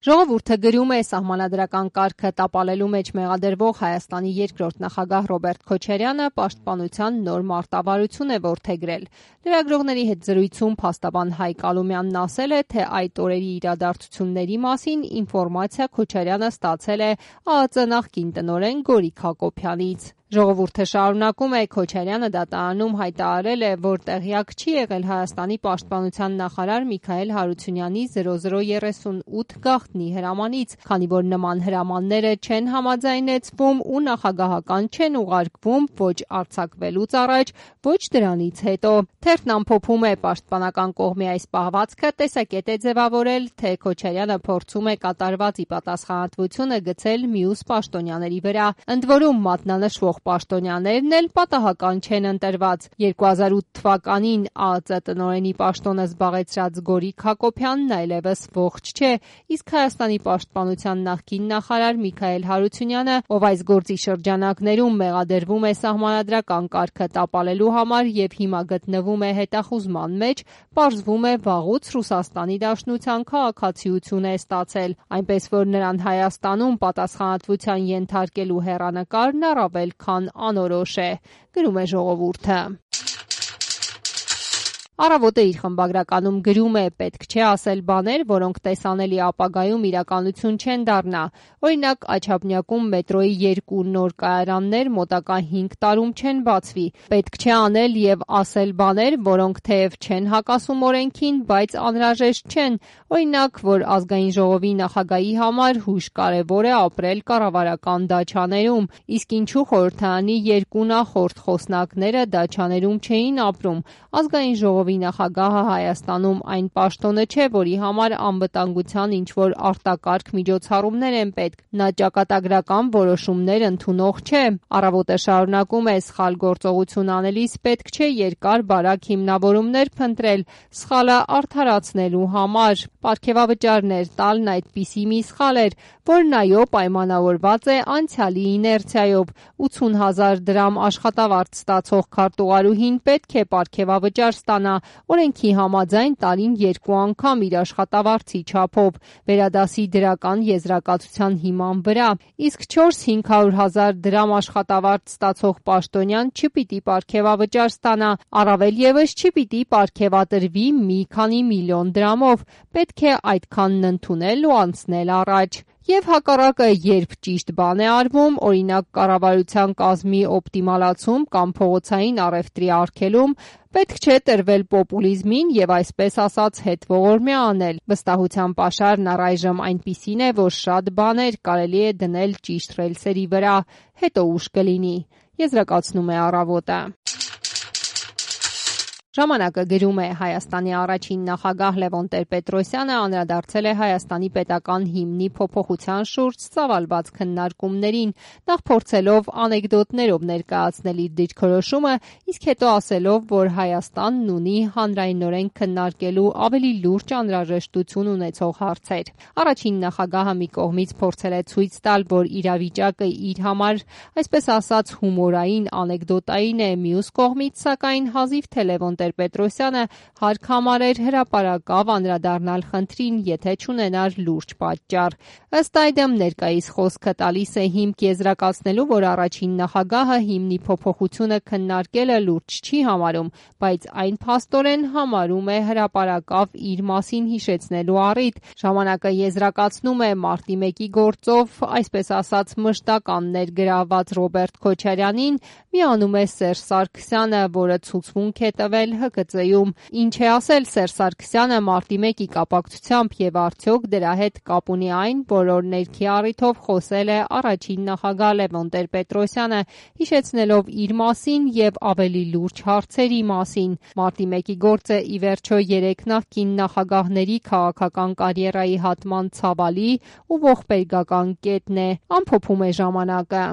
Ժողովուրդը գրում է սահմանադրական կարգը տապալելու մեջ մեղադրվող Հայաստանի երկրորդ նախագահ Ռոբերտ Քոչարյանը պաշտպանության նոր մարտավարություն է որդեգրել։ Լրագրողների հետ զրույցում փաստաբան Հայկ Ալումյանն ասել է, թե այդ օրերի իրադարձությունների մասին ինֆորմացիա Քոչարյանը ստացել է ԱԱԾ նախկին տնօրեն Գորիկ Հակոբյանից։ Ժողովուրդը շարունակում է, Քոչարյանը դատարանում հայտարարել է, որ տեղյակ չի եղել Հայաստանի պաշտպանության նախարար Միքայել Հարությունյանի 0038 գաղտնի հրամանից, քանի որ նման հրամանները չեն համաձայնեցվում ու նախագահական չեն ուղարկվում ոչ արձակվելուց առաջ, ոչ դրանից հետո։ Թերթն ամփոփում է պաշտպանական կողմի այս պահվածքը տեսակետ է ձևավորել, թե Քոչարյանը փորձում է կատարված ի պատասխանատվությունը գցել մյուս պաշտոնյաների վրա, ընդ որում մատնանշվող պաշտոնյաներն էլ պատահական չեն ընտրված։ 2008 թվականին ԱԱԾ տնօրենի պաշտոնը զբաղեցրած Գորիկ Հակոբյանն այլևս ողջ չէ, իսկ Հայաստանի պաշտպանության նախկին նախարար Միքայել Հարությունյանը, ով այս գործի շրջանակներում մեղադրվում է սահմանադրական կարգը տապալելու համար եւ հիմա գտնվում է հետախուզման մեջ, պարզվում է վաղուց Ռուսաստանի Դաշնության քաղաքացիություն է ստացել, այնպես որ նրան Հայաստանում պատասխանատվության ենթարկելու հեռանկարն առավել քան անորոշ է, գրում է Ժողովուրդը։ Առավոտը իր խմբագրականում գրում է, պետք չէ ասել բաներ, որոնք տեսանելի ապագայում իրականություն չեն դառնա։ Օրինակ, Աչափնյակում մետրոյի 2 նոր կայարաններ մոտակա 5 տարում չեն բացվի։ Պետք չէ անել եւ ասել բաներ, որոնք թեև չեն հակասում օրենքին, բայց անհրաժեշտ չեն։ Օրինակ, որ ազգային ժողովի նախագահի համար հույժ կարևոր է ապրել կառավարական դաչաներում, իսկ ինչու խորհրդարանի 2 նախորդ խոսնակները դաչաներում չէին ապրում։ Ազգային ժողովի նախագահը Հայաստանում այն պաշտոնը չէ, որի համար անվտանգության ինչ-որ արտակարգ միջոցառումներ են պետք։ Նա ճակատագրական որոշումներ ընդունող չէ։ Առավոտը շարունակում է, սխալ գործողություն անելիս պետք չէ երկար-բարակ հիմնավորումներ փնտրել սխալը արդարացնելու համար։ Պարգևավճարներ տալն այդպիսի մի սխալ էր, որն այո պայմանավորված է անցյալի իներցիայով։ 80,000 դրամ աշխատավարձ ստացող քարտուղարուհին պետք է պարգևավճար ստանա, օրենքի համաձայն տարին 2 անգամ իր աշխատավարձի չափով, վերադասի դրական եզրակացության հիման վրա, իսկ 400-500,000 դրամ աշխատավարձ ստացող պաշտոնյան չպիտի պարգևավճար ստանա, առավել ևս չպիտի պարգևատրվի մի քանի միլիոն դրամով, պետք է այդքանն ընդունել ու անցնել առաջ։ Եվ հակառակը, երբ ճիշտ բան է արվում, օրինակ կառավարության կազմի օպտիմալացում կամ փողոցային առևտրի արգելում, պետք չէ տրվել պոպուլիզմին եւ այսպես ասած հետ ողորմյա անել։ Վստահության պաշարն առայժմ այնպիսին է, որ շատ բաներ կարելի է դնել ճիշտ ռելսերի վրա, հետո ուշ կլինի, եզրակացնում է Առավոտը։ Ժամանակը գրում է, Հայաստանի առաջին նախագահ Լևոն Տեր-Պետրոսյանը անդրադարձել է Հայաստանի պետական հիմնի փոփոխության շուրջ ծավալված քննարկումներին, նախ փորձելով անեկդոտներով ներկայացնել իր դիրքորոշումը, իսկ հետո ասելով, որ Հայաստանն ունի հանրայնորեն քննարկելու ավելի լուրջ անհրաժեշտություն ունեցող հարցեր։ Առաջին նախագահը մի կողմից փորձել է ցույց տալ, որ իրավիճակը իր համար, այսպես ասած, հումորային անեկդոտային է, մյուս կողմից, սակայն, հազիվ թե Լևոն Տեր-Պետրոսյանը հարկ համարեր հրապարակավ անդրադառնալ խնդրին, եթե չունենար լուրջ պատճառ։ Ըստ այդմ, ներկայիս խոսքը տալիս է հիմք եզրակացնելու, որ առաջին նախագահը հիմնի փոփոխությունը քննարկելը լուրջ չի համարում, բայց այն փաստորեն համարում է հրապարակավ իր մասին հիշեցնելու առիթ։ Ժամանակը եզրակացնում է, մարտի 1-ի գործով, այսպես ասած, մշտական ներգրավված Ռոբերտ Քոչարյանին միանում է Սերժ Սարգսյանը, որը ցուցմունք է տվել ՀԿԾ-ում։ Ինչ է ասել Սերժ Սարգսյանը մարտի 1-ի կապակցությամբ եւ արդյոք դրա հետ կապ ունի այն, որ օրներքի առիթով խոսել է առաջին նախագահ Լևոն Տեր-Պետրոսյանը, հիշեցնելով իր մասին եւ ավելի լուրջ հարցերի մասին։ Մարտի 1-ի գործը ի վերջո 3 նախկին նախագահների քաղաքական կարիերայի հատման ցավալի ու ողբերգական կետն է, ամփոփում է Ժամանակը։